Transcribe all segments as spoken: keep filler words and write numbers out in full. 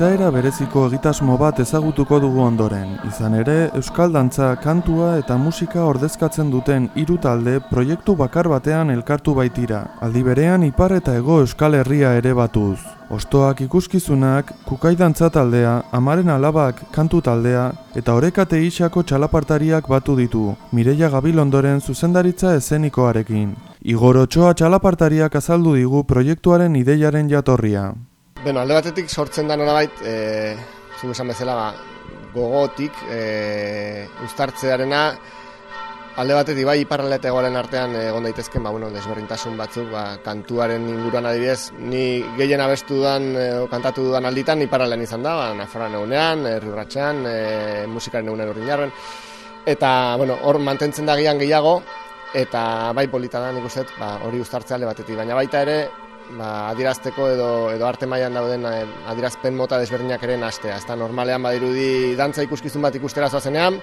Izaera bereziko egitasmo bat ezagutuko dugu ondoren, izan ere euskal dantza, kantua eta musika ordezkatzen duten hiru talde proiektu bakar batean elkartu baitira, aldi berean ipar eta hego Euskal Herria ere batuz. Ostoak ikuskizunak, kukai dantza taldea, amaren alabak kantu taldea eta orekate isako txalapartariak batu ditu, Mireia Gabilondoren zuzendaritza eszenikoarekin. Igor Otxoa txalapartariak azaldu digu proiektuaren ideiaren jatorria. Bueno, alde batetik sortzen da nolabait, e, zuk esan bezala, ba, gogotik, e, uztartzearena, alde batetik bai iparralde eta hegoaren artean egon daitezken, ba, bueno, desberdintasun batzuk, ba, kantuaren inguruan adibidez, ni gehien abestu dudan, e, kantatu dudan alditan, iparraldean izan da, ba, Nafarroan egunean, Erriurratxean, e, musikaren egunean Urriñarren, eta, bueno, hor mantentzen da gian gehiago, eta bai polita da nik uste, ba, hori uztartzea alde batetik, baina baita ere, ba, adirazteko edo, edo arte mailan dauden adirazpen mota desberdinak ere nastea. Ez da normalean badirudi dantza ikuskizun bat ikustera zoazenean,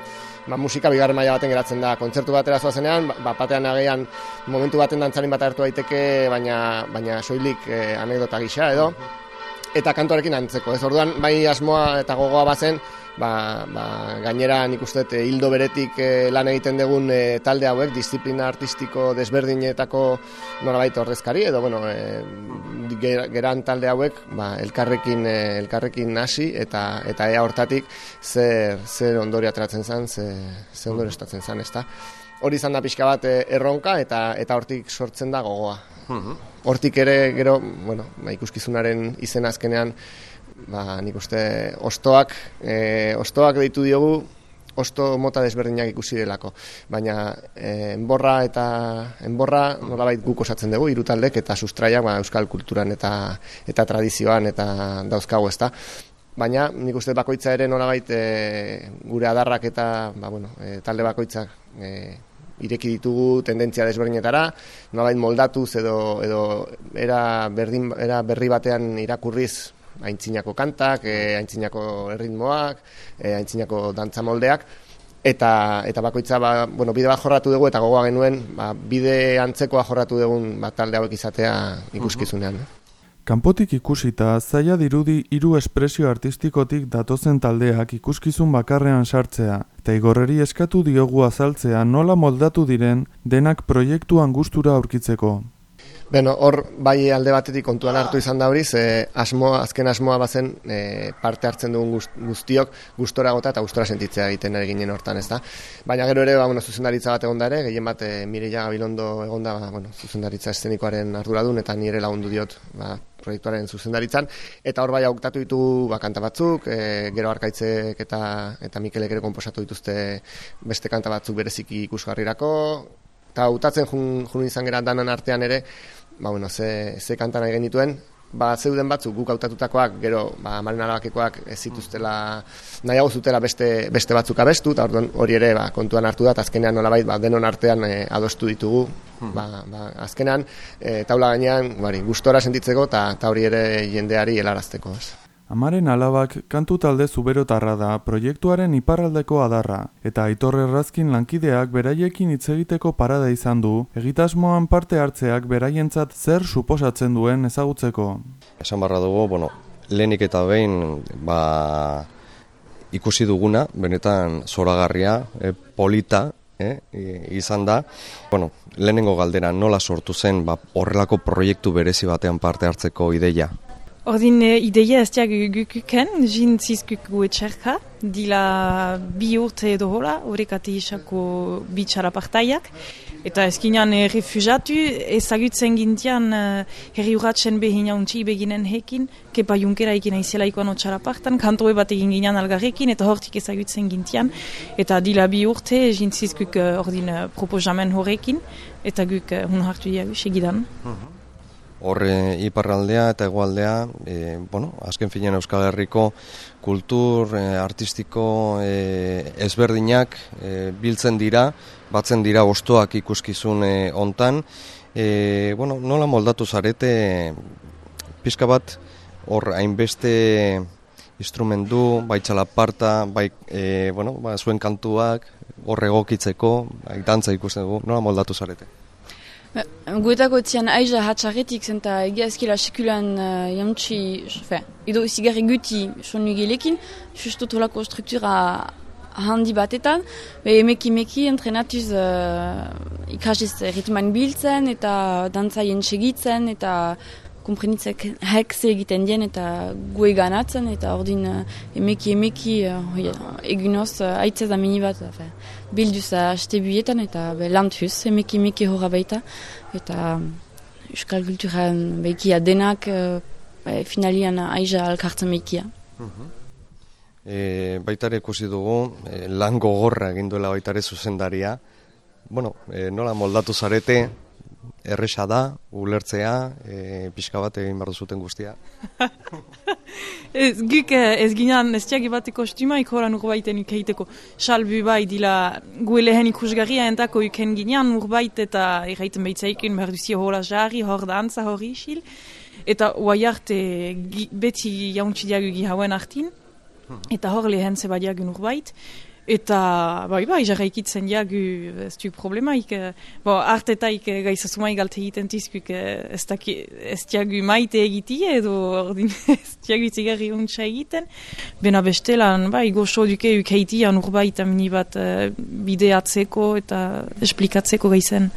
ba, musika bigarren maila baten geratzen da. Kontzertu batera zoazenean, ba, batean agian momentu baten dantzarin bat hartu daiteke, baina, baina soilik eh, anekdota gisa edo, eta kantuarekin antzeko. Ez orduan, bai asmoa eta gogoa bazen, ba, ba, gainera nik uste hildo beretik e, lan egiten dugun e, talde hauek, disiplina artistiko desberdinetako norabait ordezkari, edo bueno, e, geran talde hauek ba, elkarrekin, e, elkarrekin hasi eta eta ea hortatik zer, zer ondorio ateratzen zen, zer, zer ondorio estatzen zen, ezta. Hori izan da pixka bat erronka eta eta hortik sortzen da gogoa. Hortik ere, gero, bueno, ba, ikuskizunaren izen azkenean, ba, nik uste ostoak, e, ostoak deitu diogu, osto mota desberdinak ikusi delako. Baina e, enborra eta enborra nolabait guk osatzen dugu, hiru taldek eta sustraiak ba, euskal kulturan eta eta tradizioan eta dauzkagu, ezta. Baina nik uste bakoitza ere nolabait e, gure adarrak eta ba, bueno, e, talde bakoitzak e, ireki ditugu tendentzia desberdinetara, nolabait moldatuz edo, edo era, berdin, era berri batean irakurriz aintzinako kantak, e, aintzinako erritmoak, e, aintzinako dantza moldeak, eta, eta bakoitza ba, bueno, bide bat jorratu dugu eta gogoa genuen ba, bide antzekoa jorratu dugun ba, talde hauek izatea ikuskizunean. Kanpotik ikusita, zaila dirudi hiru espresio artistikotik datozen taldeak ikuskizun bakarrean sartzea, eta Igorreri eskatu diogu azaltzea nola moldatu diren denak proiektuan gustura aurkitzeko. Beno, hor bai alde batetik kontuan hartu izan da horiz, eh, asmoa, azken asmoa bazen eh, parte hartzen dugun guztiok gustora gota eta gustora sentitzea egiten ari ginen hortan, ez da. Baina gero ere, ba, bueno, zuzendaritza bat egon da ere, gehien bat eh, Mireia Gabilondo egon da, ba, bueno, zuzendaritza eszenikoaren arduradun eta nire lagundu diot ba, proiektuaren zuzendaritzan, eta hor bai hautatu ditugu ba, kanta batzuk, e, gero Arkaitzek eta, eta Mikelek ere konposatu dituzte beste kanta batzuk bereziki ikusgarrirako, eta hautatzen jun, jun izan gara danan artean ere, ba, bueno, ze, ze kanta nahi genituen, ba, zeuden batzuk guk hautatutakoak, gero ba, amaren alabakekoak ez zituztela, nahiago zutela beste, beste batzuk abestu, eta orduan hori ere ba, kontuan hartu da, eta azkenean nolabait ba, denon artean e, adostu ditugu, ba, ba, azkenean e, taula gainean bari, gustora sentitzeko eta hori ere jendeari helarazteko. Amaren alabak kantu talde zuberotarra da proiektuaren iparraldeko adarra, eta Aitor Errazkin lankideak beraiekin hitz egiteko parada izan du, egitasmoan parte hartzeak beraientzat zer suposatzen duen ezagutzeko. Esan barra dugu, bueno, lehenik eta behin ba, ikusi duguna, benetan zoragarria, e, polita, eh, izan da. Bueno, lehenengo galdera nola sortu zen ba, horrelako proiektu berezi batean parte hartzeko ideia? Ordin ideia ez diak gukuken, jin zizkuk gu etxerka, dila bi urte edo hola, horrekati isako bi txalapartaiak. Eta ezkinean eh, refugiatu, ezagutzen gintian eh, herri urratxen behin jauntzi beginen hekin, kepa junkera ekin aizela ikoan otxalapartan, kantoe bat egin ginean algarrekin, eta hortik ezagutzen gintian. Eta dila bi urte, jin zizkuk uh, ordin uh, proposamen horrekin, eta guk uh, hun hartu diagu segidan. Horre iparraldea eta hegoaldea, e, bueno, azken finean Euskal Herriko kultur e, artistiko e, ezberdinak e, biltzen dira, batzen dira ostoak ikuskizun e, hontan. E, bueno, nola moldatu zarete pizka bat hor hainbeste instrumentu, bai txalaparta, bai e, bueno, ba, zuen kantuak hor egokitzeko, bai dantza ikusten dugu, nola moldatu zarete? Guetako etzian aiza hatxarretik zen eta egia ezkila sekulan uh, jantzi, fe, edo zigarri guti sonu gelekin, justo tolako struktura handi batetan, be emeki meki entrenatuz uh, ikasiz ritman biltzen eta dantza jentsegitzen eta komprenitzek hekze egiten dien eta gue ganatzen eta ordin uh, emeki emeki uh, egunoz uh, aitzez amini bat uh, bilduz haste buietan eta be, lantuz emeki emeki horra baita eta um, euskal kulturan behikia denak uh, be, finalian aiza alkartzen behikia. Uh-huh. E, baitare ikusi dugu, e, lan gogorra egin duela baitare zuzendaria. Bueno, e, nola moldatu zarete, erresa da, ulertzea, e, pixka bat egin behar duzuten guztia. ez, guk ez ginean ez tiagi bat kostuma ikoran urbaiten ikeiteko. Salbu bai dila gue lehen ikusgarria entako iken ginean urbait eta erraiten behitzaikun behar duzio hola jarri, hor dantza, hor isil. Eta oai arte beti jauntzidiagu gihauen artin. Eta hor lehen zeba diagun urbait. Eta, bai, bai, jarraikitzen diagu ez du problemaik. Bo, artetaik gaizasumai galte egiten tizkuk ez, ez diagu maite egitie edo ordin ez diagu zigarri untsa egiten. Bena bestelan, bai, goxo duke ukeitian urbait amini bat bideatzeko eta esplikatzeko gaizen.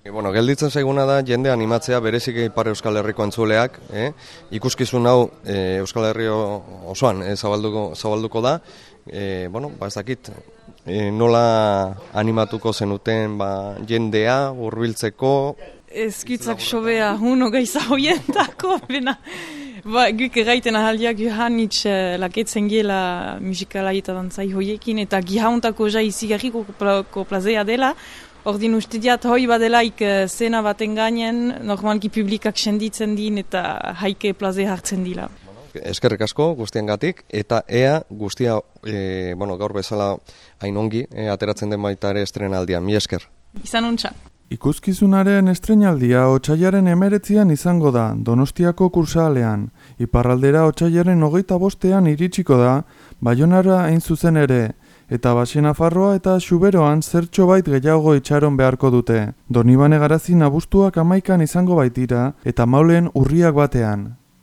E, bueno, gelditzen zaiguna da jende animatzea berezik Ipar Euskal Herriko entzuleak, eh? Ikuskizun hau e, Euskal Herri osoan e, zabalduko, zabalduko da, e, bueno, ba ez dakit e, nola animatuko zenuten ba, jendea hurbiltzeko. Ez gitzak sobea huno gaiza hoientako, bena. Ba, guk erraiten ahaldiak juhanitz uh, laketzen gela musikala eta dantzai hoiekin eta gihauntako jai zigarriko plazea dela. Ordin uste diat hoi badelaik uh, zena baten gainen, normalki publikak senditzen din eta haike plaze hartzen dila. Eskerrik asko guztiengatik eta ea guztia e, bueno, gaur bezala hain ongi e, ateratzen den baita ere estrenaldia. Mi esker. Izan untxa. Ikuskizunaren estreinaldia otsailaren emeretzian izango da, Donostiako kursalean. Iparraldera otsailaren hogeita bostean iritsiko da, Baionara hain zuzen ere, eta Baxenafarroa eta Xuberoan zertxo bait gehiago itxaron beharko dute. Donibane Garazin abuztuak amaikan izango baitira, eta Maulen urriak batean.